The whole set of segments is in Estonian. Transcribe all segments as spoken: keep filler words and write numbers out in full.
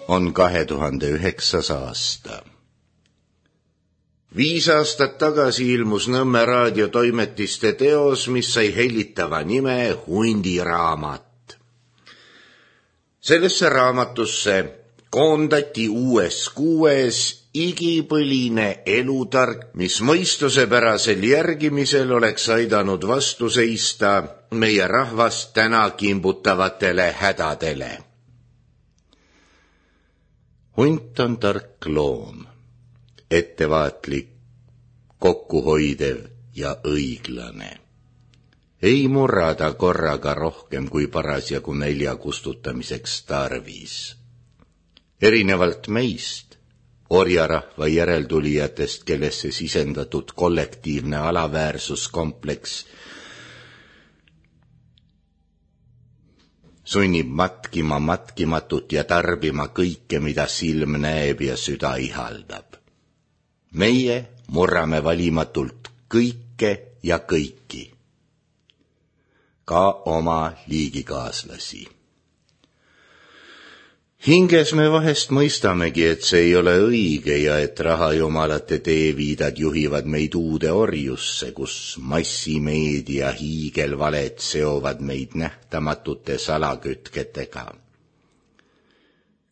on kahe tuhande üheksas aasta. Viis aastat tagasi ilmus Nõmme raadiotoimetiste teos, mis sai hellitava nime Hundiraamat. Sellesse raamatusse koondati uues kuues igipõline elutark, mis mõistusepärasel järgimisel oleks aidanud vastu seista meie rahvast täna kimbutavatele hädadele. Hunt on tark loom, ettevaatlik, kokkuhoidev ja õiglane. Ei murrada korraga rohkem kui parasjagu nälja kustutamiseks tarvis. Erinevalt meist, orjarahva järeltulijatest, kellesse sisendatud kollektiivne alaväärsuskompleks sunnib matkima matkimatut ja tarbima kõike, mida silm näeb ja süda ihaldab. Meie murrame valimatult kõike ja kõiki, ka oma liigikaaslasi. Hinges me vahest mõistamegi, et see ei ole õige ja et rahajumalate teeviidad juhivad meid uude orjusse, kus massimeedia hiigelvaled seovad meid nähtamatute salakütketega.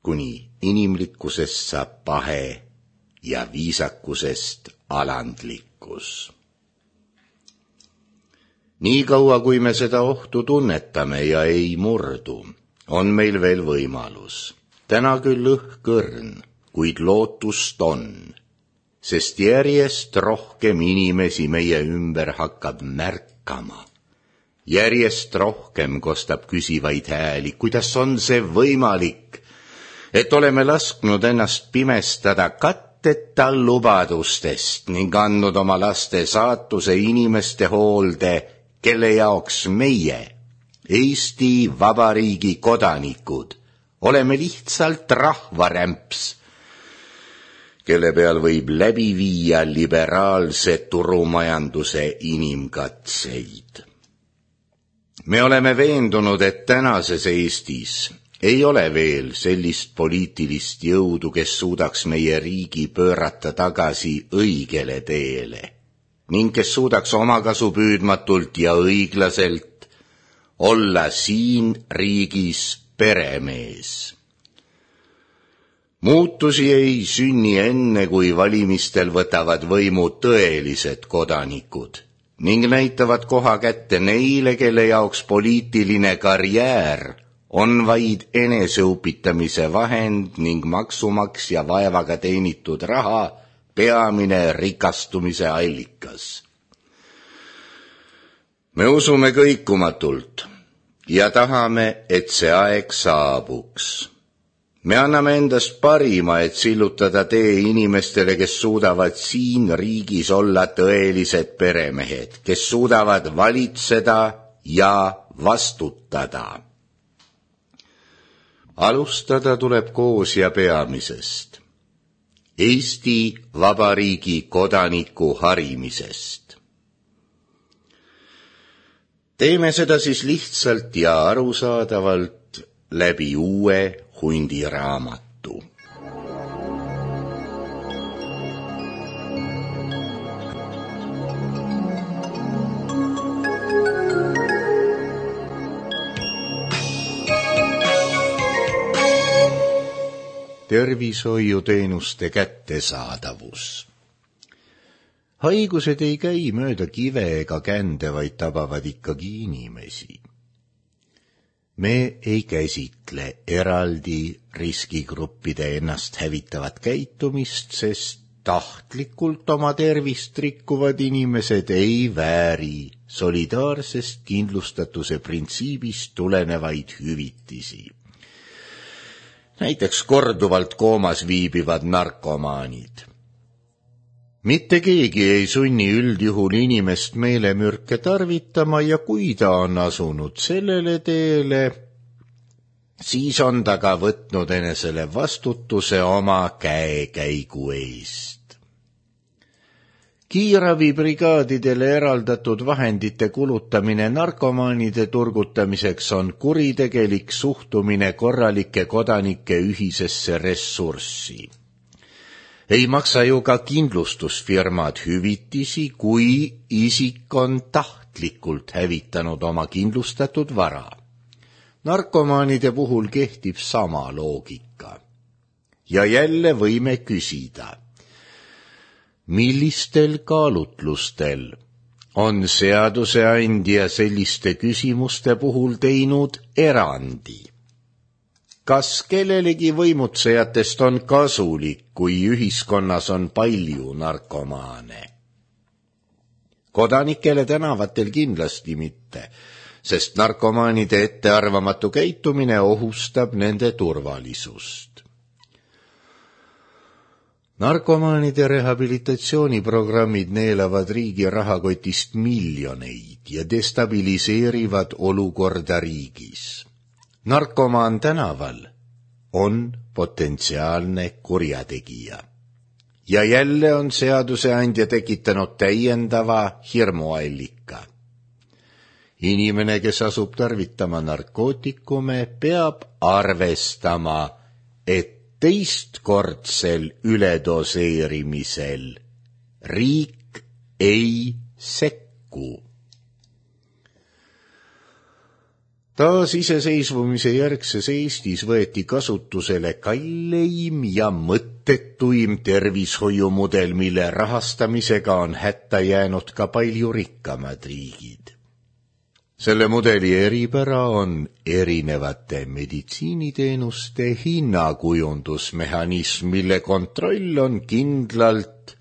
Kuni inimlikkusest saab pahe ja viisakusest alandlikkus. Nii kaua, kui me seda ohtu tunnetame ja ei murdu, on meil veel võimalus. Täna küll õhkõrn, kuid lootust on, sest järjest rohkem inimesi meie ümber hakkab märkama. Järjest rohkem kostab küsivaid hääli, kuidas on see võimalik, et oleme lasknud ennast pimestada katteta lubadustest ning andnud oma laste saatuse inimeste hoolde, kelle jaoks meie, Eesti Vabariigi kodanikud, oleme lihtsalt rahvarämps, kelle peal võib läbi viia liberaalse turumajanduse inimkatseid. Me oleme veendunud, et tänases Eestis ei ole veel sellist poliitilist jõudu, kes suudaks meie riigi pöörata tagasi õigele teele ning kes suudaks omakasu püüdmatult ja õiglaselt olla siin riigis peremees. Muutusi ei sünni enne, kui valimistel võtavad võimu tõelised kodanikud ning näitavad koha kätte neile, kelle jaoks poliitiline karjäär on vaid eneseupitamise vahend ning maksumaksja vaevaga teenitud raha peamine rikastumise allikas. Me usume kõikumatult ja tahame, et see aeg saabuks. Me anname endast parima, et sillutada tee inimestele, kes suudavad siin riigis olla tõelised peremehed, kes suudavad valitseda ja vastutada. Alustada tuleb koos ja peamisest, Eesti Vabariigi kodaniku harimisest. Teeme seda siis lihtsalt ja arusaadavalt läbi uue Hundiraamatu. Tervishoiuteenuste kättesaadavus. Haigused ei käi mööda kive ega kände, vaid tabavad ikkagi inimesi. Me ei käsitle eraldi riskigruppide ennast hävitavat käitumist, sest tahtlikult oma tervist rikkuvad inimesed ei vääri solidaarsest kindlustatuse printsiibist tulenevaid hüvitisi. Näiteks korduvalt koomas viibivad narkomaanid. Mitte keegi ei sunni üldjuhul inimest meelemürke tarvitama ja kui ta on asunud sellele teele, siis on ta ka võtnud enesele vastutuse oma käekäigu eest. Kiiravibrigaadidele eraldatud vahendite kulutamine narkomaanide turgutamiseks on kuritegelik suhtumine korralike kodanike ühisesse ressurssi. Ei maksa ju ka kindlustusfirmad hüvitisi, kui isik on tahtlikult hävitanud oma kindlustatud vara. Narkomaanide puhul kehtib sama loogika. Ja jälle võime küsida, millistel kaalutlustel on seaduseandja selliste küsimuste puhul teinud erandi? Kas kellelegi võimutsejatest on kasulik, kui ühiskonnas on palju narkomaane? Kodanikele tänavatel kindlasti mitte, sest narkomaanide ettearvamatu käitumine ohustab nende turvalisust. Narkomaanide rehabilitatsiooniprogrammid neelavad riigi rahakotist miljoneid ja destabiliseerivad olukorda riigis. Narkomaan tänaval on potentsiaalne kurjategija. Ja jälle on seaduseandja tekitanud täiendava hirmuallika. Inimene, kes asub tarvitama narkootikume, peab arvestama, et teistkordsel üledoseerimisel riik ei sekku. Taas iseseisvumise järgses Eestis võeti kasutusele kalleim ja mõttetuim tervishoiumudel, mille rahastamisega on hätta jäänud ka palju rikkamad riigid. Selle mudeli eripära on erinevate meditsiiniteenuste hinnakujundusmehhanism, mille kontroll on kindlalt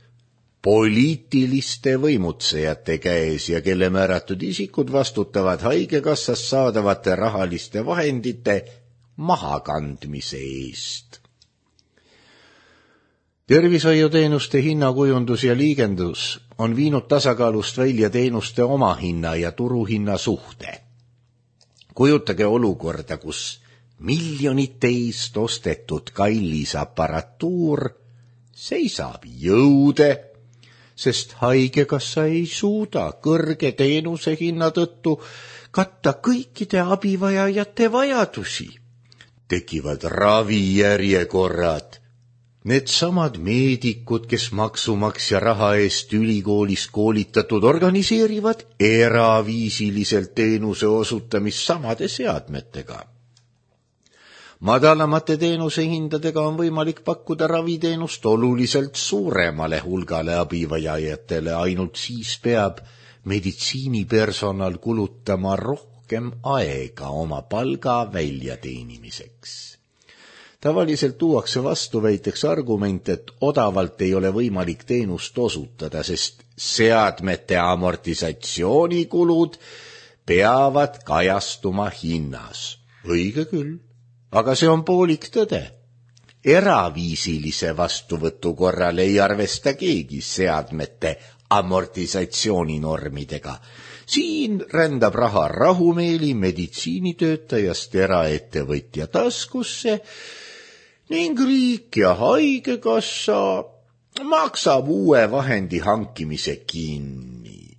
poliitiliste võimutsejate käes ja kelle määratud isikud vastutavad haigekassast saadavate rahaliste vahendite mahakandmise eest. Tervishoiuteenuste hinnakujundus ja liigendus on viinud tasakaalust välja teenuste omahinna ja turuhinna suhte. Kujutage olukorda, kus miljonite eest ostetud kallis aparatuur seisab jõude, sest haigekassa ei suuda kõrge teenuse hinna tõttu katta kõikide abivajajate vajadusi. Tekivad ravijärjekorrad. Needsamad meedikud, kes maksumaksja raha eest ülikoolis koolitatud, organiseerivad eraviisiliselt teenuse osutamist samade seadmetega. Madalamate teenusehindadega on võimalik pakkuda raviteenust oluliselt suuremale hulgale abivajajatele, ainult siis peab meditsiinipersonal kulutama rohkem aega oma palga väljateenimiseks. Tavaliselt tuuakse vastuväiteks argument, et odavalt ei ole võimalik teenust osutada, sest seadmete amortisatsioonikulud peavad kajastuma hinnas. Õige küll. Aga see on poolik tõde. Eraviisilise vastuvõtu korral ei arvesta keegi seadmete amortisatsiooninormidega. Siin rändab raha rahumeeli meditsiinitöötajast eraettevõtja taskusse ning riik ja haigekassa maksab uue vahendi hankimise kinni.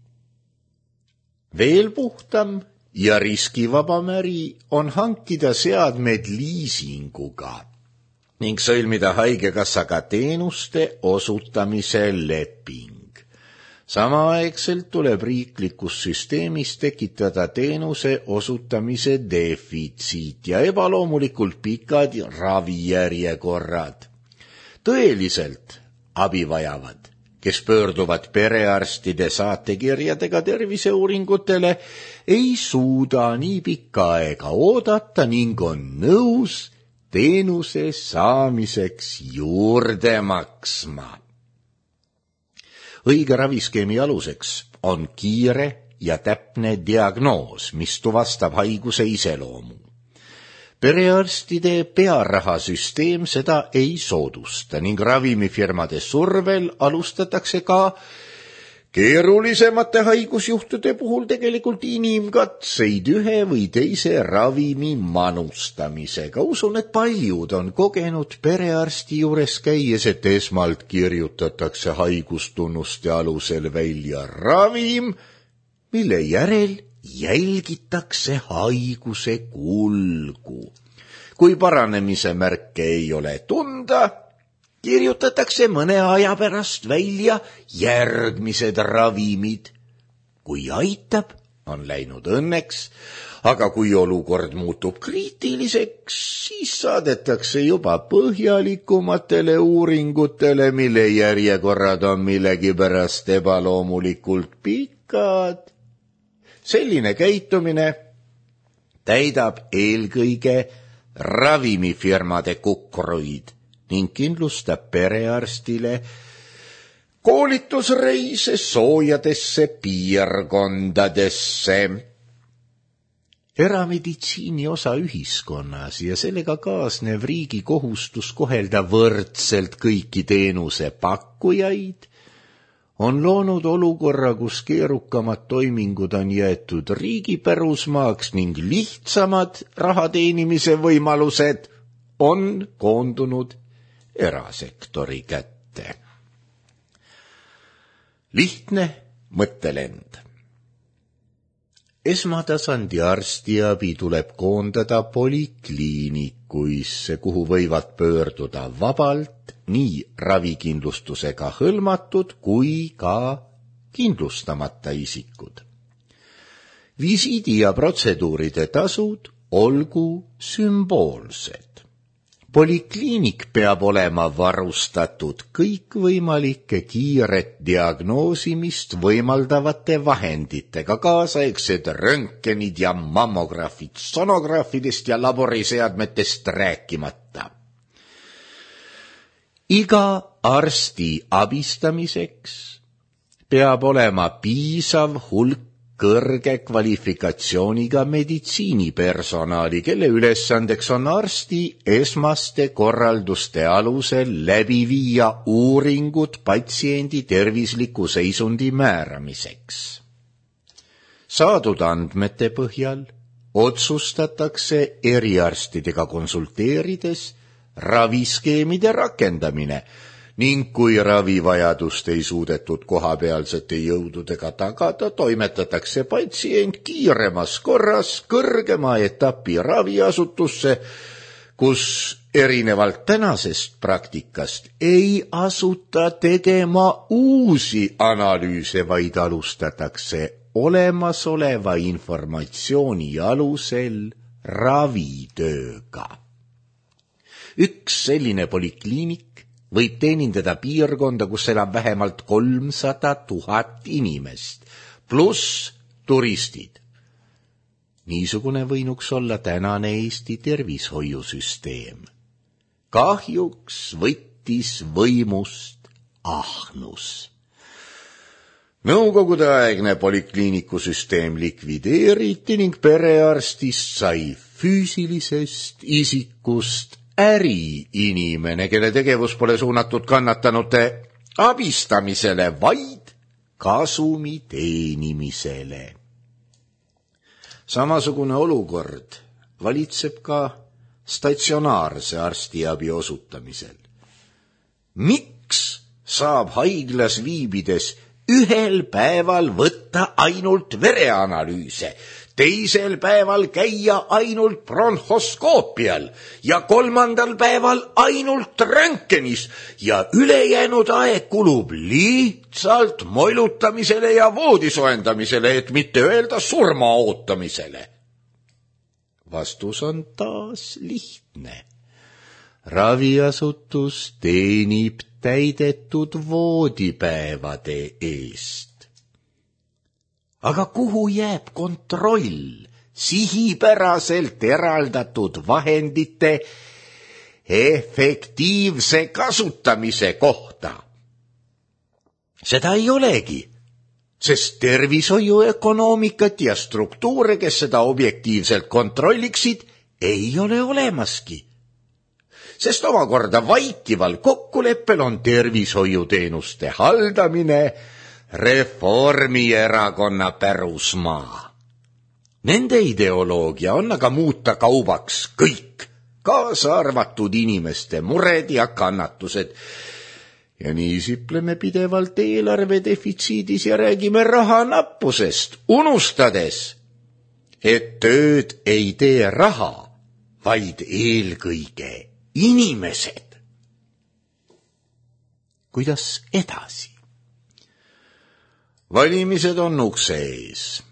Veel puhtam ja riskivabam äri on hankida seadmed liisinguga ning sõlmida haigekassaga teenuste osutamise leping. Samaaegselt tuleb riiklikus süsteemis tekitada teenuse osutamise defitsiit ja ebaloomulikult pikad ravijärjekorrad. Tõeliselt abi vajavad, kes pöörduvad perearstide saatekirjadega terviseuuringutele, ei suuda nii pikka aega oodata ning on nõus teenuse saamiseks juurde maksma. Õige raviskeemi aluseks on kiire ja täpne diagnoos, mis tuvastab haiguse iseloomu. Perearstide pearahasüsteem seda ei soodusta ning ravimifirmade survel alustatakse ka keerulisemate haigusjuhtude puhul tegelikult inimkatseid ühe või teise ravimi manustamisega. Usun, et paljud on kogenud perearsti juures käies, et esmalt kirjutatakse haigustunnuste alusel välja ravim, mille järel jälgitakse haiguse kulgu. Kui paranemise märke ei ole tunda, kirjutatakse mõne aja pärast välja järgmised ravimid. Kui aitab, on läinud õnneks, aga kui olukord muutub kriitiliseks, siis saadetakse juba põhjalikumatele uuringutele, mille järjekorrad on millegipärast ebaloomulikult pikad. Selline käitumine täidab eelkõige ravimifirmade kukruid ning kindlustab perearstile koolitusreise soojadesse piirkondadesse. Erameditsiini osa ühiskonnas ja sellega kaasnev riigi kohustus kohelda võrdselt kõiki teenuse pakkujaid on loonud olukorra, kus keerukamad toimingud on jäetud riigi pärusmaaks ning lihtsamad rahateenimise võimalused on koondunud erasektori kätte. Lihtne mõttelend. Esmatasandi arstiabi tuleb koondada polikliinikuisse, kuhu võivad pöörduda vabalt nii ravikindlustusega hõlmatud kui ka kindlustamata isikud. Visiidi ja protseduuride tasud olgu sümboolsed. Polikliinik peab olema varustatud kõikvõimalike kiiret diagnoosimist võimaldavate vahenditega, kaasaegsed röntgenid ja mammograafid, sonograafidest ja laboriseadmetest rääkimata. Iga arsti abistamiseks peab olema piisav hulk kõrge kvalifikatsiooniga meditsiinipersonali, kelle ülesandeks on arsti esmaste korralduste alusel läbi viia uuringud patsiendi tervisliku seisundi määramiseks. Saadud andmete põhjal otsustatakse eriarstidega konsulteerides raviskeemide rakendamine ning kui ravivajadust ei suudetud kohapealsete jõududega tagada, toimetatakse patsient kiiremas korras kõrgema etapi raviasutusse, kus erinevalt tänasest praktikast ei asuta tegema uusi analüüse, vaid alustatakse olemasoleva informatsiooni alusel ravitööga. Üks selline polikliinik võib teenindada piirkonda, kus elab vähemalt kolmsada tuhat inimest, pluss turistid. Niisugune võinuks olla tänane Eesti tervishoiusüsteem. Kahjuks võttis võimust ahnus. Nõukogudeaegne polikliinikusüsteem likvideeriti ning perearstist sai füüsilisest isikust äriinimene, kelle tegevus pole suunatud kannatanute abistamisele, vaid kasumi teenimisele. Samasugune olukord valitseb ka statsionaarse arstiabi osutamisel. Miks saab haiglas viibides ühel päeval võtta ainult vereanalüüse, teisel päeval käia ainult bronhoskoopial ja kolmandal päeval ainult röntgenis ja ülejäänud aeg kulub lihtsalt moilutamisele ja voodi soendamisele, et mitte öelda surma ootamisele? Vastus on taas lihtne. Raviasutus teenib täidetud voodipäevade eest. Aga kuhu jääb kontroll sihipäraselt eraldatud vahendite efektiivse kasutamise kohta? Seda ei olegi, sest tervishoiuökonoomikat ja struktuure, kes seda objektiivselt kontrolliksid, ei ole olemaski. Sest omakorda vaikival kokkuleppel on tervishoiuteenuste haldamine Reformierakonna pärusmaa. Nende ideoloogia on aga muuta kaubaks kõik, kaasa arvatud inimeste mured ja kannatused. Ja nii sipleme pidevalt eelarve defitsiidis ja räägime raha nappusest, unustades, et tööd ei tee raha, vaid eelkõige inimesed. Kuidas edasi? Valimised on ukse ees.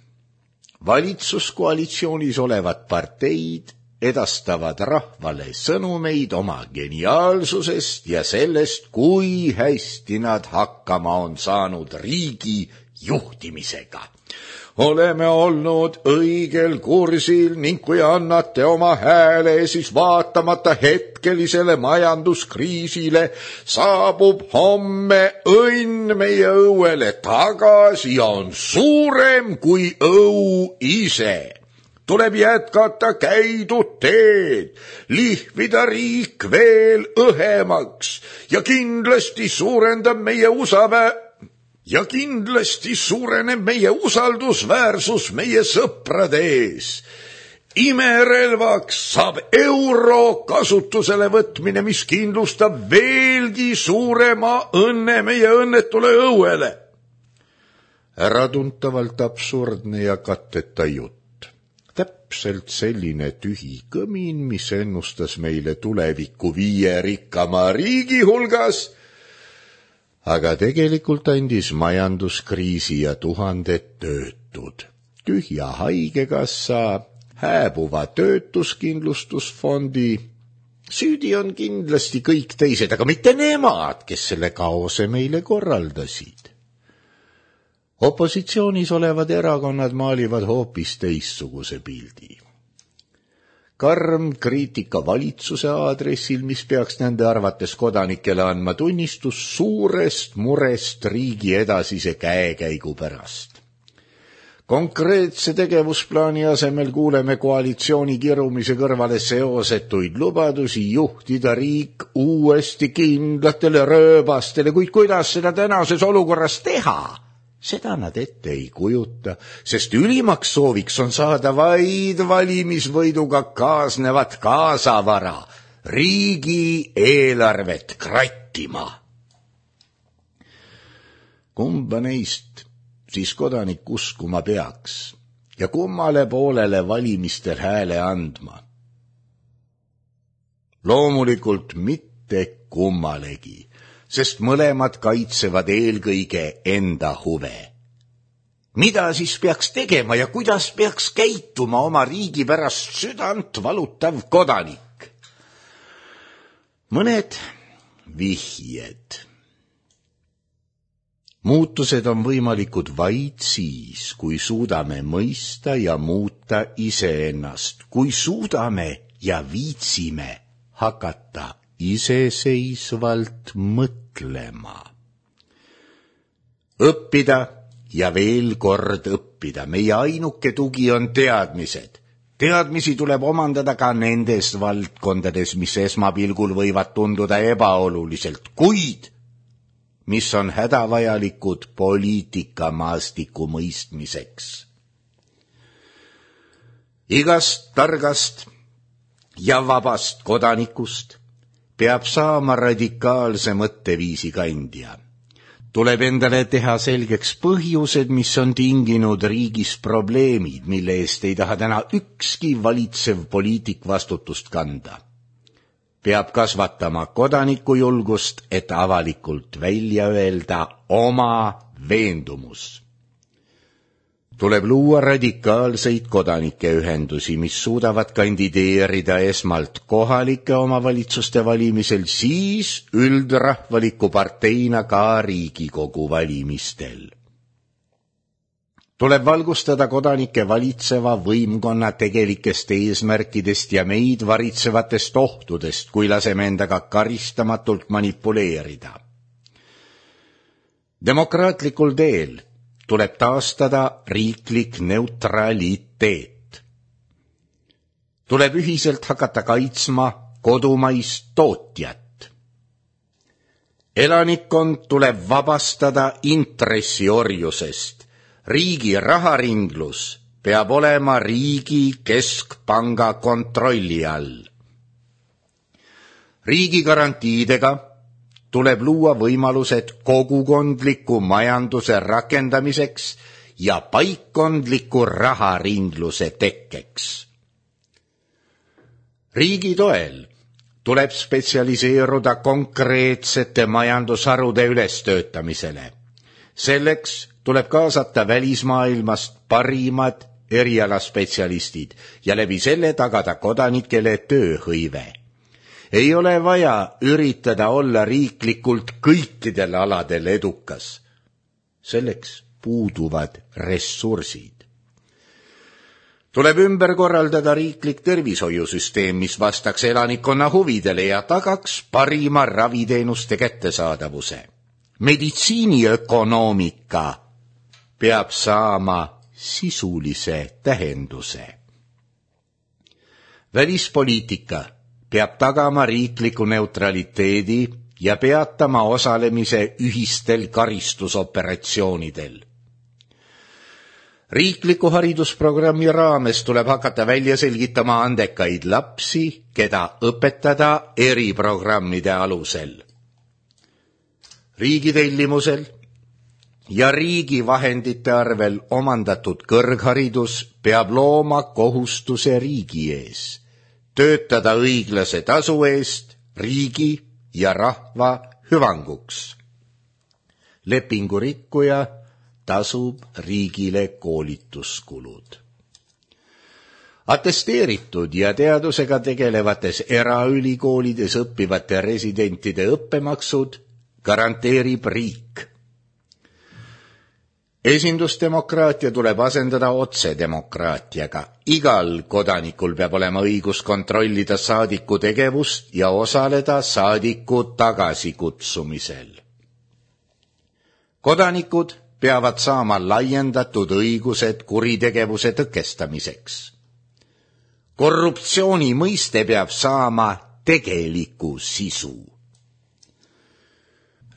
Valitsuskoalitsioonis olevad parteid edastavad rahvale sõnumeid oma geniaalsusest ja sellest, kui hästi nad hakkama on saanud riigi juhtimisega. Oleme olnud õigel kursil ning kui annate oma hääle, siis vaatamata hetkelisele majanduskriisile saabub homme õnn meie õuele tagasi ja on suurem kui õu ise. Tuleb jätkata käidud teed, lihvida riik veel õhemaks ja kindlasti suurendab meie usavä Ja kindlasti suureneb meie usaldusväärsus meie sõprade ees. Imerelvaks saab euro kasutusele võtmine, mis kindlustab veelgi suurema õnne meie õnnetule õuele. Äratuntavalt absurdne ja katteta jutt. Täpselt selline tühi kõmin, mis ennustas meile tulevikku viie rikkama riigi hulgas, aga tegelikult andis majanduskriisi ja tuhanded töötud, tühja haigekassa, hääbuva töötuskindlustusfondi. Süüdi on kindlasti kõik teised, aga mitte nemad, kes selle kaose meile korraldasid. Opositsioonis olevad erakonnad maalivad hoopis teistsuguse pildi. Karm kriitika valitsuse aadressil, mis peaks nende arvates kodanikele andma tunnistus suurest murest riigi edasise käekäigu pärast. Konkreetse tegevusplaani asemel kuuleme koalitsiooni kirumise kõrvale seosetuid lubadusi juhtida riik uuesti kindlatele rööbastele, kuid kuidas seda tänases olukorras teha? Seda nad ette ei kujuta, sest ülimaks sooviks on saada vaid valimisvõiduga kaasnevat kaasavara, riigi eelarvet krattima. Kumba neist siis kodanik uskuma peaks ja kummale poolele valimistel hääle andma? Loomulikult mitte kummalegi, sest mõlemad kaitsevad eelkõige enda huve. Mida siis peaks tegema ja kuidas peaks käituma oma riigi pärast südant valutav kodanik? Mõned vihjed. Muutused on võimalikud vaid siis, kui suudame mõista ja muuta iseennast, kui suudame ja viitsime hakata iseseisvalt mõtlema. Õppida ja veel kord õppida. Meie ainuke tugi on teadmised. Teadmisi tuleb omandada ka nendes valdkondades, mis esmapilgul võivad tunduda ebaoluliselt, kuid mis on hädavajalikud poliitikamaastiku mõistmiseks. Igast targast ja vabast kodanikust peab saama radikaalse mõtteviisi kandja. Tuleb endale teha selgeks põhjused, mis on tinginud riigis probleemid, mille eest ei taha täna ükski valitsev poliitik vastutust kanda. Peab kasvatama kodanikujulgust, et avalikult välja öelda oma veendumus. Tuleb luua radikaalseid kodanikeühendusi, mis suudavad kandideerida esmalt kohalike omavalitsuste valimisel, siis üldrahvaliku parteina ka Riigikogu valimistel. Tuleb valgustada kodanike valitseva võimkonna tegelikest eesmärkidest ja meid varitsevatest ohtudest, kui laseme endaga karistamatult manipuleerida. Demokraatlikul teel tuleb taastada riiklik neutraliteet. Tuleb ühiselt hakata kaitsma kodumaist tootjat. Elanikkond tuleb vabastada intressiorjusest. Riigi raharinglus peab olema riigi keskpanga kontrolli all. Riigi garantiidega tuleb luua võimalused kogukondliku majanduse rakendamiseks ja paikkondliku raharingluse tekkeks. Riigi toel tuleb spetsialiseeruda konkreetsete majandusharude ülestöötamisele. Selleks tuleb kaasata välismaailmast parimad erialaspetsialistid ja läbi selle tagada kodanikele tööhõive. Ei ole vaja üritada olla riiklikult kõikidel aladel edukas. Selleks puuduvad ressursid. Tuleb ümber korraldada riiklik tervishoiusüsteem, mis vastaks elanikkonna huvidele ja tagaks parima raviteenuste kättesaadavuse. Meditsiiniökonoomika peab saama sisulise tähenduse. Välispoliitika peab tagama riikliku neutraliteedi ja peatama osalemise ühistel karistusoperatsioonidel. Riikliku haridusprogrammi raames tuleb hakata välja selgitama andekaid lapsi, keda õpetada eriprogrammide alusel. Riigi tellimusel ja riigi vahendite arvel omandatud kõrgharidus peab looma kohustuse riigi ees. Töötada õiglase tasu eest riigi ja rahva hüvanguks. Lepingu rikkuja tasub riigile koolituskulud. Atesteeritud ja teadusega tegelevates eraülikoolides õppivate residentide õppemaksud garanteerib riik. Esindusdemokraatia tuleb asendada otsedemokraatiaga. Igal kodanikul peab olema õigus kontrollida saadiku tegevust ja osaleda saadiku tagasikutsumisel. Kodanikud peavad saama laiendatud õigused kuritegevuse tõkestamiseks. Korruptsiooni mõiste peab saama tegeliku sisu.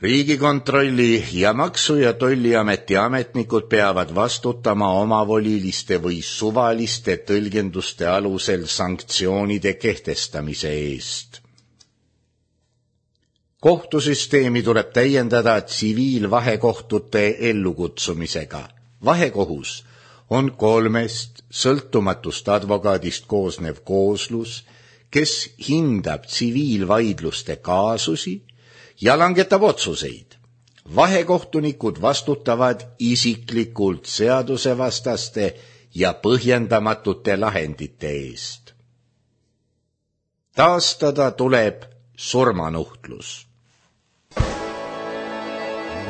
Riigikontrolli ja Maksu- ja Tolliameti ametnikud peavad vastutama omavoliliste või suvaliste tõlgenduste alusel sanktsioonide kehtestamise eest. Kohtusüsteemi tuleb täiendada tsiviilvahekohtute ellukutsumisega. Vahekohus on kolmest sõltumatust advokaadist koosnev kooslus, kes hindab tsiviilvaidluste kaasusi ja langetab otsuseid. Vahekohtunikud vastutavad isiklikult seadusevastaste ja põhjendamatute lahendite eest. Taastada tuleb surmanuhtlus.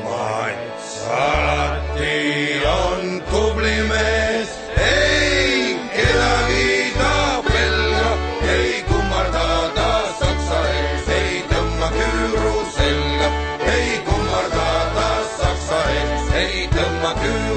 Mats alati on tubli mees, ei kedagi ta pelga, ei kummarda ta saksa ees, ei tõmma küüru selga, ei kummarda ta saksa ees, ei tõmma küüru